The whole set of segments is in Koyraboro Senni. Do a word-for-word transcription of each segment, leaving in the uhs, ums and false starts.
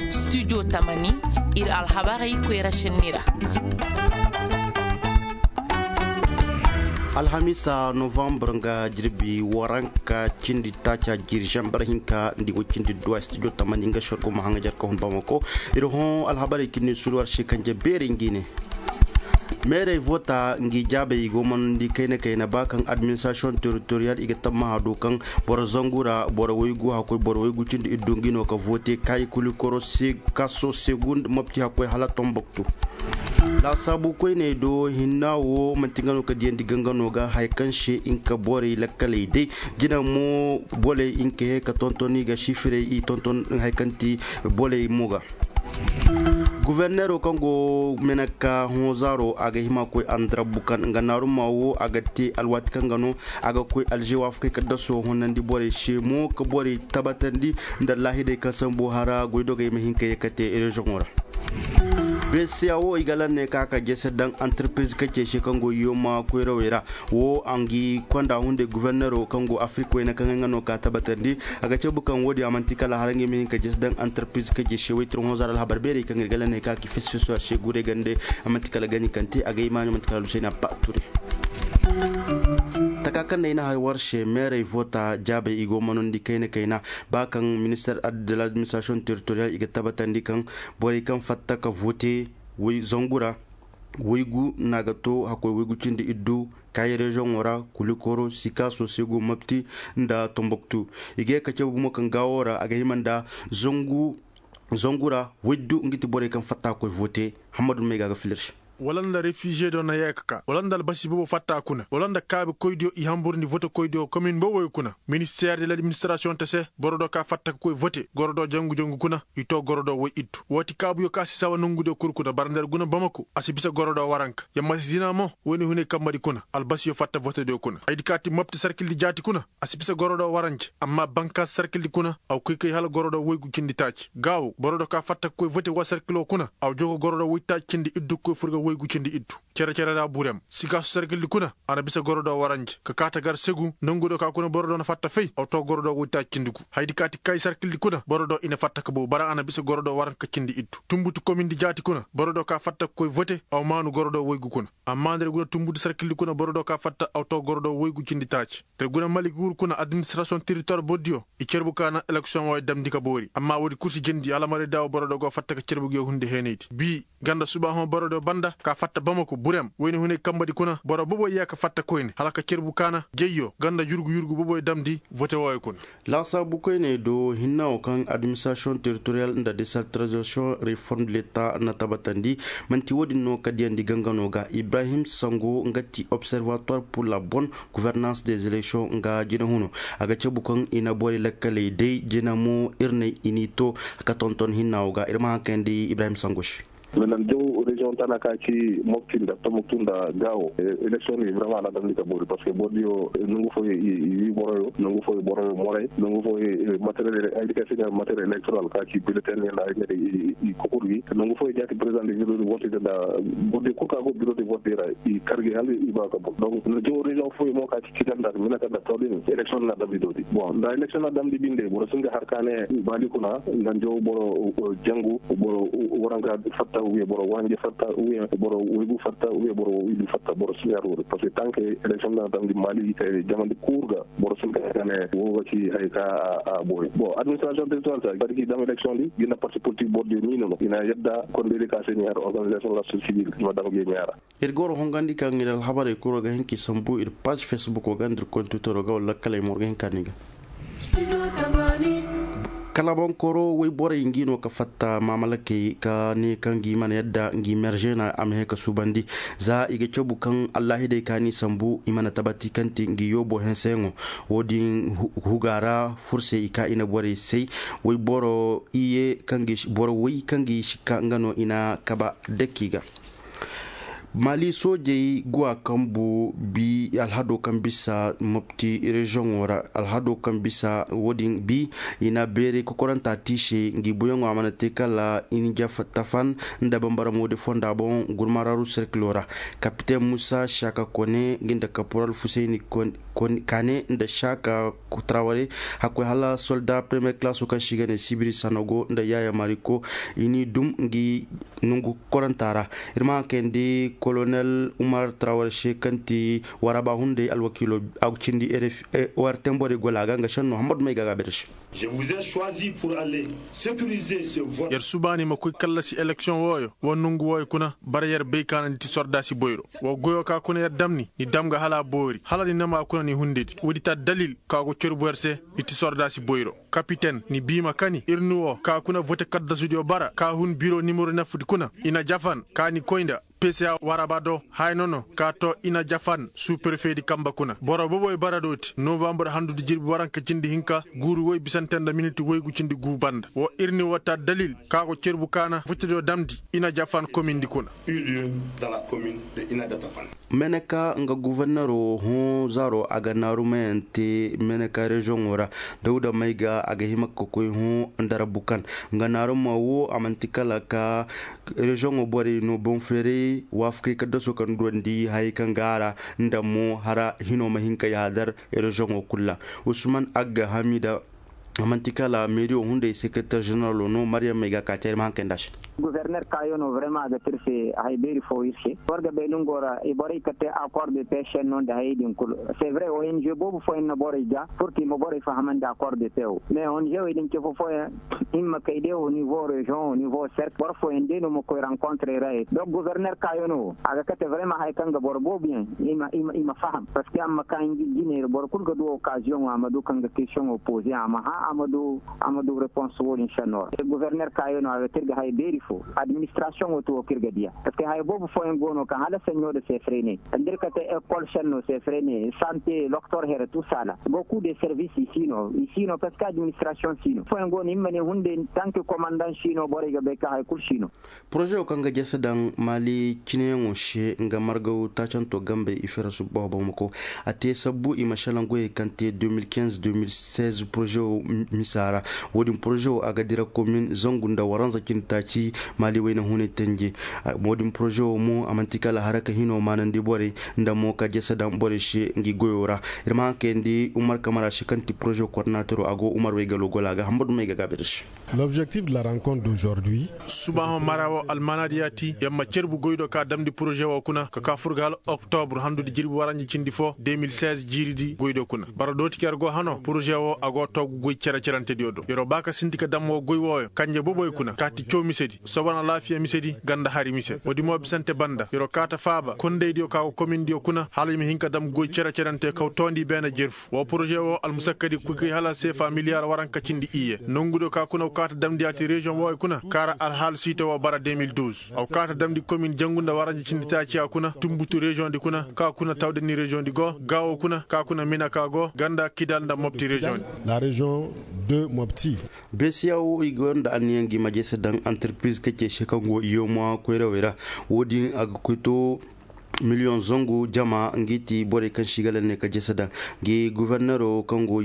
Studio tamani, ir alhabarey koyra sinni ra. Alhamisa novembre nga jirbi waranka cindi taaca jiri zambar hinka ndi go cindi duwa studio tamani nga sorgo ma hanga jarka hun bamako. Ir hõ alhabarey kinni sulu war se kanje beerey ngi ne. Meerey vota ngi jaabey i go manandi kayna kayna ba kaŋ administration territorial i ga tammaha do kaŋ boro zangu ra boro waygu hakkoy boro waygu cindi iddu ngi no ka vote kaayi kulikoro kaso segund mapti hakkoy hala tomboktu. Laasaabu koyney do hinna wo manti nga no ka diyandi gangano ga haya kaŋ se nka borey lakkaley day jina mo boley nka he ka tontoni ga sifirey i tonton haya kaŋ ti boley mo ga. Guverneero kaŋ go meneka hõzaaro a ga hima koy andarabbu kaŋ nga naaruma wo a ga te alwaati kaŋ ga no a ga koy alzewaafakey ka daso honandi borey se mo ka borey tabatandi nda laahidey kaŋ sambu hara goydogey ma hin ka ye ka te rezoŋo ra. Bca wo i ga lanney ka ka jese daŋ antarpiriz kace se kaŋ go yoma koyrawey ra wo a ngi konda hunday guverneero kaŋ go afrik wayna kaŋ ay nga no ka tabatandi. A ga cabu kaŋ wo-din a manti kala hara nga i ma hin ka jese daŋ antarpiriz kace se waytir hõzaaro alhabar beerey kaŋ ir ga lanney ka ki fesfeso a se guray gande. A manti kala gani kaŋ te a ga imaani manti kala lusayna ba ture. Taka kaŋ day na hari war se meerey vota jaabey i go manandi kayna kayna ba kaŋ minister de l'administration territorial i ga tabatandi kaŋ borey kaŋ fatta ka vote zangu ra waygu no a ga to hakkoy waygu cindi iddu kaayi rezoŋo ra kulikoro sikaso segu mapti nda tomboktu. I ga ye ka cabu mo kaŋ gaawo ra a ga hima nda zangu ra waydu nga ti borey kaŋ fatta koy vote. Hammadu may ga ga filir se. Wala nda refiziye do na yee ka ka wala nda albasi boobo fatta kuna wala nda kaabi koydiyo i hamburndi vote koydiyo komin boobey kuna minister de l'administration te se boro do ka fatta ka koy vote goro do jangu jangu kuna i to goro do way iddu. Wooti kaabuyo ka si sawa nongudiyo kul kuna bara nda ir guna bamako a si bisa goro do waranka yamma si zina mo. Woyne hunay kambadi kuna albasiyo fatta votediyo kuna haydi ka ti mapti sarkildi jaati kuna a si bisa goro do waranje amma bankaasi sarkildi kuna. Aw koy kay hala goro do waygu cindi taaci gaawo boro do ka fatta ka koy vote wa sarkilo kuna aw jogo goro do waytaaci cindi iddu ka koy furga waygu cindi iddu. Cere cere ra burem sigaasu sarkildi kuna a na bisa goro do waranje ka kaata gar segu nongu do ka kuna boro do na fatta fay aw to goro do waytaaci cindi gu haydi ka ti kay sarkildi kuna boro do i na fatta ka bow bara a na bisa goro do waranka cindi iddu tumbutu komindi jaati kuna boro do ka fatta ka koy vote aw maanu goro do waygu kuna. Amma nda ir guna tumbutu sarkildi kuna boro do ka fatta aw to goro do waygu cindi taaci. Te guna mali guuru kuna administration territoire bordiyo i cerbu ka na eleksiyoŋ wo ay damndi ka boori amma woodi kul si jandi alamaray daawo boro do go fatta ka cerbu gi hundi heenaydi bi ganda subaahoŋ boro do banda ka fatta bamako burem wayne hunay kambadi kuna boro boboy yee ka fatta koyne hala ka cerbu ka na jayyo ganda yurgu yurgu boboy damndi vote wo ay kuna. Laasaabu koyney do hinna wo kaŋ administration territorial nda decentralisation reform de leta na tabatandi. Man'ti wo-din no ka diyandi gangano ga ibrahim sango nga ti observatoire pour la bonne gouvernance des élections nga jina huno. A ga cabu kaŋ i na borey lakkaley day jina mo ir nay i n'i to ka tonton hinna wo ga ir ma haŋ kayandi ibrahim sango se. Nan jaw reziyoŋ tana ka ci mopti nda tomoktu nda gaawo. Eleksiyoŋ ni vraiment a na damndi ka boori parce que bordiyo nongu fooyo i wi boroyo nongu fooyo boroyo moray nongu fooyo matériel ay di ka sina matériel électoral ka ci bulletin ne nda ay ne de i kokur gi nongu fooyo jaati président de bureau de vote nda bordiyo kul ka go bureau de vote ra i kar gi hal i ba ka bon donc nan jaw reziyoŋ fooyo mo ka ci ci ganda mina ka nda tawdin eleksiyoŋ na damndi doodi bon nda eleksiyoŋ na damndi binde boro singa har ka ne bali kuna nda njo boro jangu boro waranka fatta ou bien boro wanje fatta ou bien boro waygu fatta ou bien boro widu fatta boro siñar wori parce que tant que élection na damdi mali kay jamandi kurga boro sinka kane woga ci hay ka a boy bon administration territorial sa barki dam élection di gina parti politique bordi ni no ina yadda kon de ka seni har organisation la société civile ma dam ge ñara. Ir goro hongandi kaŋ ir alhabarey kuro ga hin ki sambu ir page facebook ga ndir kontutoro ga wala kalay mor ga hin kani ga. Kalabankoro wayborey ngi no ka fatta mamalakey ka ne kaŋ ngi mana yadda ngi mergena a ma he ka subandi. Za i ga cabu kaŋ allahidey ka ni sambu i mana tabati kaŋ ti ngi yobo henseyaŋo. Wo-din huga ra fursey i ka i na borey say wayboro iye kaŋ gi boro way kaŋ gi sikka nga no i na kaba dakki ga. Mali soojey go a kambu bi alhado kaŋ bisa mopti reziyoŋo ra. Alhado kaŋ bisa wo-din bi i na beeray kokoranta te i se ngi buyaŋo a mana te kala i na jafa tafan nda bambara moodi fonda boŋ gurmararu serkilo ra. Kapiten musa saka kone ngi nda kaporal fusayni kane nda saka traware hakkoy hala solda premiyer kalaso kaŋ se i ga ne sibiri sanogo nda yaya mariko i n'i dum ngi nongu koranta ra. Ir ma haŋ kayandi kolonel umar traware se kaŋ ti waraba hunday alwakiilo a ga cindi ortem borey gola ga nga senno hammadu may ga ga bere se. Yer subaani ma koy kallasi eleksiyoŋ wooyo wa nongu wooyo kuna bara yer bay ka na ni ti sordaasi boyro. Wa goyo ka kuna yer damni ni dam ga hala a boori hala ni nama kuna ni hundedi woodi ta dalil ka go cerbu yer se. Ni ti sordaasi boyro kapiten ni biima kani ir ni wo ka kuna vote kaddasudiyo bara ka hun biro nimero nafudi kuna i na jafan ka ni koy nda pca waraba do haya nono ka to i na jafan suuperfedi kamba kuna boro boboy bara do ti novambur handudi jirbi waranka cindi hinka guuru woy bisante nda miniti woygu cindi guu banda wo ir ni wo ta dalil ka go cerbu ka na votediyo damndi i na jafan komindi kuna. Meneka nga gufornero hõ zaaro a ga naarumayante meneka reziyoŋo ra dawda may ga a ga hima ka koy hõ nda rabu kan nga naaruma wo a man'ti kala ka reziyoŋo borey no boŋ feeray waafakey kaddaso kaŋ duwandi hayey kaŋ ga a ra nda mo hara hino ma hin ka yaadar reziyoŋo kulu ra. Usman agga hamida a man'ti kala meeriyo hunday sekereter zeneralo no maryam may ga ka care ma haŋ kay nda a se. Guforner kayo no vrema a ga te ir se haya beeri fo ir se war ga bay nongo ra i borey ka te akor de pe senno nda hayey din kulu. Se vre ong boobo fooyaŋ na borey ga purki ma borey fahamandi akor de pe wo mais ong wey din ce fo fooyaŋ i ma kay de onivo reziyoŋ onivo serk boro fooyaŋ de no ma koy rankontre ra ye donk guforner kayo no wo a ga kate vrema haya kaŋ ga boro boobo yaŋ i ma faham parceque a ma ka jiney ra boro kulu ga du okaziyoŋo a ma du kaŋ ga kestiyoŋo poze a ma hã a ma du repons wo-din senno ra guforner kayo no a ga te ir ga haya beeri fo administrasiyoŋo ti wo kaŋ ir ga diya parceque haya boobo fooyaŋ go no kaŋ hala seɲɲo nda sefre ne nda ir kate ekol senno sefre ne sante loktor here tusala boku de servis i si no i si no parceque administrasiyoŋ si no fooyaŋ go no i ma ne hunday tanki komandan si no borey ga bay kaŋ haya kulu si no. Poroze wo kaŋ ga jese daŋ maali cineyaŋo se nga margaw taacanto gambey i fere subbaho bamako a te sabbu i ma šelaŋ goyey kaŋ te deux mille quinze deux mille seize poroze wo misa ra. Wo-din poroze wo a ga dira komin zangu nda waranza cindi taaci maali wayna hunay tenje. Wo-din poroze wo mo a man'ti kala haraka hino maanandi borey nda mo ka jese daŋ borey se ngi goyo ra. Ir ma haŋ kayandi umar kamara se kaŋ ti poroze kordinatero a go umar waygalo gola ga hamba dumey ga gaabi ir se. Lobjektif de la rankont dozordi. Subaaho mara wo almaanaadiya ti yer ma cerbu goy do ka damndi poroze wo kuna ka ka fur ga hala oktobur handudi jirbi waranja cindi fo deux mille seize jiiridi goy do kuna bara dooti ka yer go hano poroze wo a go toogu goy cere-cerantediyo do yer wo ba ka sinti ka dam wo goy wooyo kanje boboy kuna kaati caw misedi soban alaafiya misedi ganda hari mise woodi mo bisante banda yer wo kaata faaba kondaydiyo ka go komindiyo kuna hala i ma hin ka dam goy cere-cerante kaw toondi beene jerfu wo poroze wo almusakkadi kuy kay hala seefa miliyar waranka cindi iyye nongudiyo ka kuna go kaata damndi yaati reziyoŋ wooyo kuna kaara alhaal siito wo bara deux mille douze a go kaata damndi komin jangu nda waranja cindi taaciya kuna tunbutu reziyoŋdi kuna ka kuna tawdani reziyoŋdi go gaawo kuna ka kuna mina ka go ganda kidal nda mopti reziyoŋdi. La reziyoŋ de mopti. Besiyawo i go nda anniyaŋ gi ma jese daŋ antirpiriz ka ce se kaŋ go iyoma koyrawey ra. Wo-din a ga koy to miliyoŋ zangu jama ngi ti borey kaŋ se i ga lalle ne ka jese daŋ ngi guvernero kaŋ go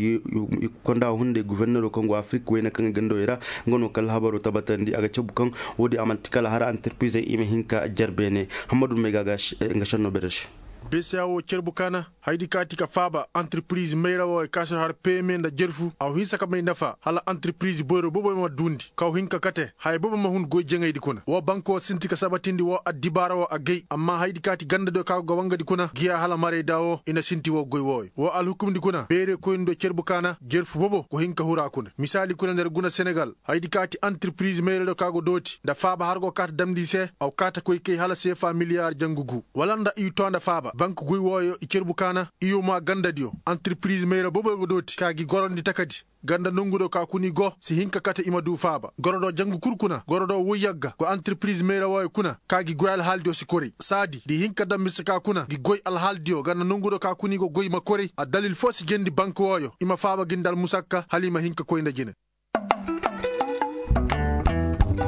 konda hunday guvernero kaŋ go afirik wayne kaŋ ga gandawey ra. Nga no kala habaro tabatandi a ga cabu kaŋ wo-din a manti kala hara antirpirizey i ma hin ka jar beene. Hammadu may ga ga nga senno bere se. Besiyawo cerbu kaana haydi kaati ka faaba antirpiriz mayra wooyo ka si har peme nda jerfu a wa hinsa ka may nafa hala antirpiriz boyro boboy ma duundi ka wa hin ka kate haya boobo ma hun goy jaŋaydi kuna woo banko sinti ka sabatindi woo addibaara woo a gay amma haydi kaati gandadiyo ka go ga wangadi kuna giya hala marayda woo i na sinti woo goy wooyo woo alhukumdi kuna beerekoyndiyo cerbu kaana jerfu boobo go hin ka huru a kuna misaali kuna nda ir guna senegal haydi kaati antirpiriz mayradiyo ka go dooti nda faaba har go kaata damndi i se a wa kaata koy kay hala seefa miliyaar jangu guu wala nda i too nda faaba bank goy wooyo i cerbu kaana i yuma gandadiyo antirpiriz mayra boboyo go dooti ka gi gorandi takadi ganda nongudiyo ka kuna i go si hin ka kate i ma duu faaba gorodiyo jangu kul kuna gorodiyo woy yagga go antirpiriz mayra wooyo kuna ka gi goy alhaalidiyo si koray saadi nda i hin ka daŋ mise ka kuna gi goy alhaalidiyo ganda nongudiyo ka kuna i go goy ma koray addalil foo si jeendi bank wooyo i ma faaba gi nda almusakka hala i ma hin ka koy nda jine.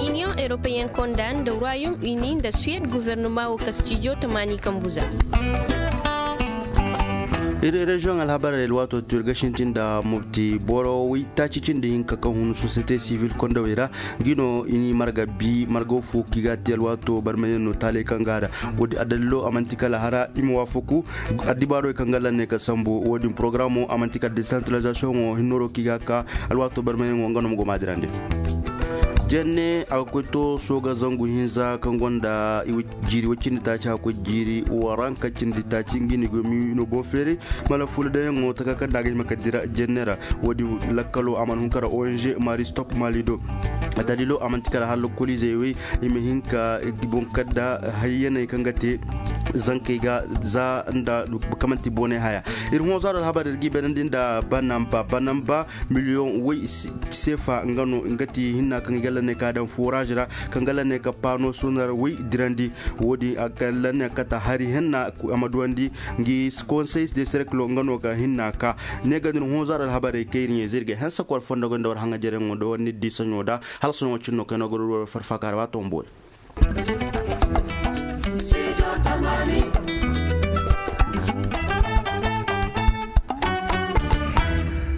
Iniyoŋ europeyen konda nda royaume uni nda suwed guvernoma wo ka stijo tamaani kambu za. Ir reziyoŋ alhabarey alwaato tu ir ga sintin nda murti boro waytaaci cindi hinka kaŋ hun sosiyete sivil kondawey ra. Ngi no i n'i marga bi margaw fo kaŋ i ga a te alwaato barmayaŋ no taaley kaŋ ga a da. Woodin addalilo a man'ti kala hara i ma waafaku addibaarey kaŋ ga lanne ka sambu woodin porogaraamo a man'ti kala desantiralizasiyoŋo hinnooro kaŋ i ga a ka. Alwaato barmayaŋo nga no ma go ma a dirandi. Jenne a ga koy to sooga zangu hinza kaŋ gonda jiiri woy cindi taaci hakkoy jiiri waranka cindi taaci ngi ni gomi no boŋ feeri. Mala fuula dayaŋo taka kaŋ nda a ga hima ka dira jenne ra. Woodin lakkalo a mana hun kara ong mari stop mali do. Daliilo a man'ti kala hala lokoliizey wey i ma hin ka boŋ kadda hayyaney kaŋ ga te zankey ga za nda kaŋ man'ti boonay haya. Ir hõ zaaro alhabar ir g'i bayrandi nda banamba banamba miliyoŋ woy seefa nga no nga ti hinna kaŋ i ga lanne ka daŋ foraaz ra kaŋ ga lanne ka paano sonar woy dirandi. Woodin a ga lanne kata hari henna a ma duwandi ngi konsey de serkilo nga no ga hinna ka ne ga din hõ zaaro alhabarey kaŋ ir ɲayze ir ga hanse koy war fondo ga nda war haŋajereyaŋo nda war niddi saɲo da. Hala soɲo cin no kaŋ ay no ga ruru war farfaaka ra ba tombo.